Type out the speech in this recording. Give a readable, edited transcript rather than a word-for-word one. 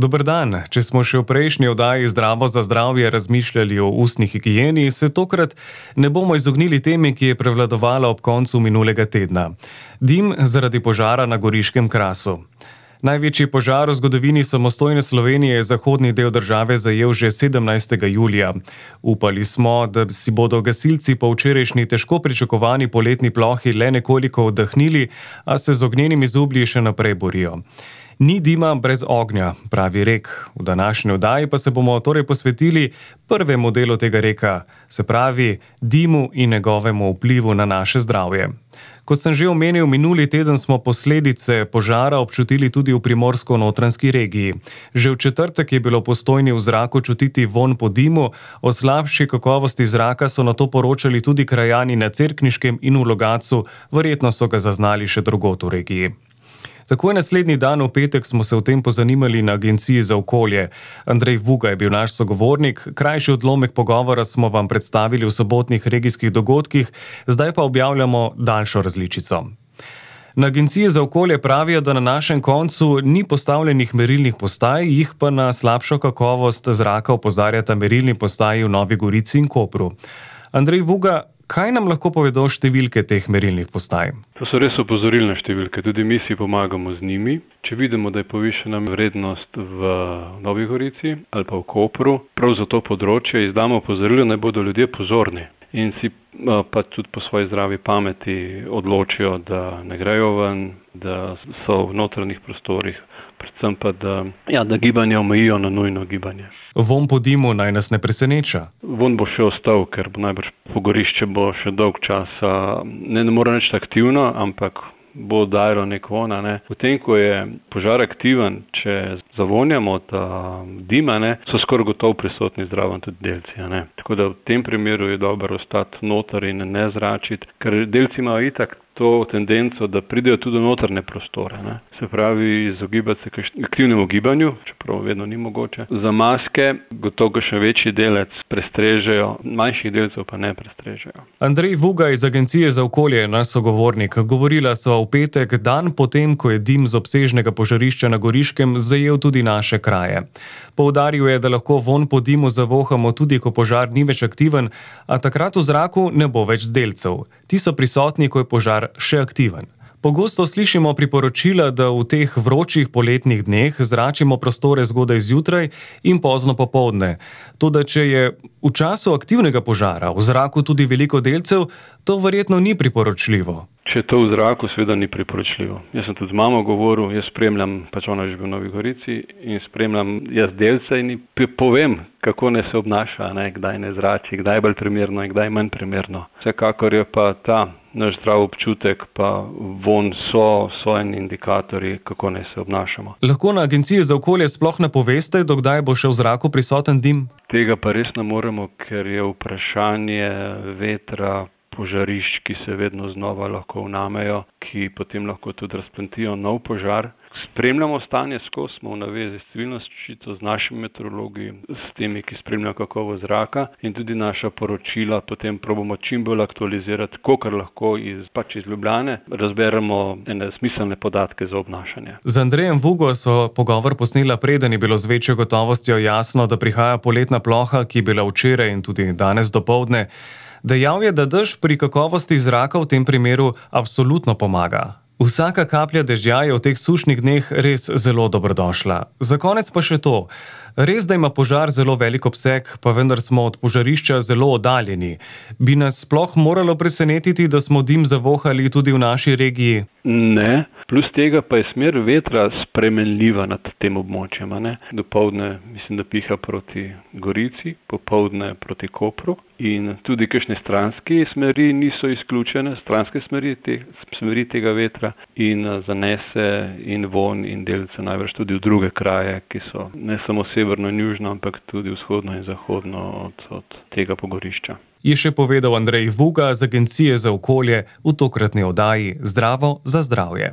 Dober dan. Če smo še v prejšnji oddaji Zdravo za zdravje razmišljali o ustni higieni, se tokrat ne bomo izognili temi, ki je prevladovala ob koncu minulega tedna. Dim zaradi požara na Goriškem Krasu. Največji požar v zgodovini samostojne Slovenije je zahodni del države zajel že 17. julija. Upali smo, da si bodo gasilci po včerajšnji težko pričakovani poletni plohi le nekoliko oddahnili, a se z ognjenimi zublji še naprej borijo. Ni dima brez ognja, pravi rek. V današnji oddaji pa se bomo torej posvetili prvemu delu tega reka, se pravi dimu in njegovemu vplivu na naše zdravje. Kot sem že omenil, minuli teden smo posledice požara občutili tudi v primorsko-notranjski regiji. Že v četrtek je bilo v Postojni v zraku čutiti vonj po dimu, o slabši kakovosti zraka so nato poročali tudi krajani na Cerkniškem in v Logatcu, verjetno so ga zaznali še drugod v regiji. Takoj naslednji dan v petek smo se o tem pozanimali na Agenciji za okolje. Andrej Vuga je bil naš sogovornik, krajši odlomek pogovora smo vam predstavili v sobotnih regijskih dogodkih, zdaj pa objavljamo daljšo različico. Na Agenciji za okolje pravijo, da na našem koncu ni postavljenih merilnih postaj, jih pa na slabšo kakovost zraka opozarjata merilni postaji v Novi Gorici in Kopru. Andrej Vuga, kaj nam lahko povedo številke teh merilnih postaj? To so res opozorilne številke, tudi mi si pomagamo z njimi. Če vidimo, da je povišena vrednost v Novi Gorici ali pa v Kopru, prav za to področje izdamo opozorilo, naj bodo ljudje pozorni in si pa tudi po svoji zdravi pameti odločijo, da ne grejo ven, da so v notranjih prostorih, predvsem pa da gibanje omejijo na nujno gibanje. Vonj po dimu naj nas ne preseneča. Vonj bo še ostal, ker bo najbrž pogorišče bo še dolg časa, ne mora reči aktivno, ampak bo dajalo nek vonj, ne. Potem, ko je požar aktiven, če zavonjamo ta dima, ne, so skoraj gotovo prisotni zraven tudi delci, ne. Tako da v tem primeru je dobro ostati noter in ne zračiti, ker delci imajo itak to tendenco, da pridejo tudi v notrne prostore, ne. Se pravi, izogibati se aktivnemu gibanju, čeprav vedno ni mogoče. Za maske gotovo še večji delec prestrežejo, manjših delcev pa ne prestrežejo. Andrej Vuga iz Agencije za okolje je naš sogovornik. Govorila sva v petek, dan potem, ko je dim z obsežnega požarišča na Goriškem zajel tudi naše kraje. Poudaril je, da lahko vonj po dimu zavohamo tudi, ko požar ni več aktiven, a takrat v zraku ne bo več delcev. Ti so prisotni, ko je požar še aktiven. Pogosto slišimo priporočila, da v teh vročih poletnih dneh zračimo prostore zgodaj zjutraj in pozno popoldne. Toda če je v času aktivnega požara v zraku tudi veliko delcev, to verjetno ni priporočljivo. Če je to v zraku, seveda ni priporočljivo. Jaz sem tudi z mamo govoril, jaz spremljam, ona je že v Novi Gorici in spremljam jaz delce in povem, kako ne se obnaša, ne, kdaj ne zrači, kdaj je bolj primerno in kdaj manj primerno. Vsekakor je pa ta naš zdrav občutek, pa vonj so en indikatorji, kako ne se obnašamo. Lahko na Agenciji za okolje sploh ne poveste, do kdaj bo še v zraku prisoten dim? Tega pa res ne moremo, ker je vprašanje vetra, požarišč, ki se vedno znova lahko vnamejo, ki potem lahko tudi razplamtijo nov požar. Spremljamo stanje skozi, smo v navezi s civilno zaščito, z našimi meteorologi, s temi, ki spremljajo kakovost zraka in tudi naša poročila potem probamo čim bolj aktualizirati, kolikor lahko iz Ljubljane razberemo ene smiselne podatke za obnašanje. Z Andrejem Vugo so pogovor posnela preden je bilo z večjo gotovostjo jasno, da prihaja poletna ploha, ki je bila včeraj in tudi danes dopoldne. Dejal je, da dež pri kakovosti zraka v tem primeru absolutno pomaga. Vsaka kaplja dežja je v teh sušnih dneh res zelo dobrodošla. Za konec pa še to. Res, da ima požar zelo velik obseg, pa vendar smo od požarišča zelo oddaljeni. Bi nas sploh moralo presenetiti, da smo dim zavohali tudi v naši regiji? Ne, plus tega pa je smer vetra spremenljiva nad tem območjem, ne. Dopoldne mislim, da piha proti Gorici, popoldne proti Kopru in tudi kakšne stranske smeri niso izključene, stranske smeri tega vetra in zanese in vonj in delce najbrž tudi v druge kraje, ki so ne samo severno in južno, ampak tudi vzhodno in zahodno od tega pogorišča. Je še povedal Andrej Vuga z Agencije za okolje v tokratni oddaji Zdravo za zdravje.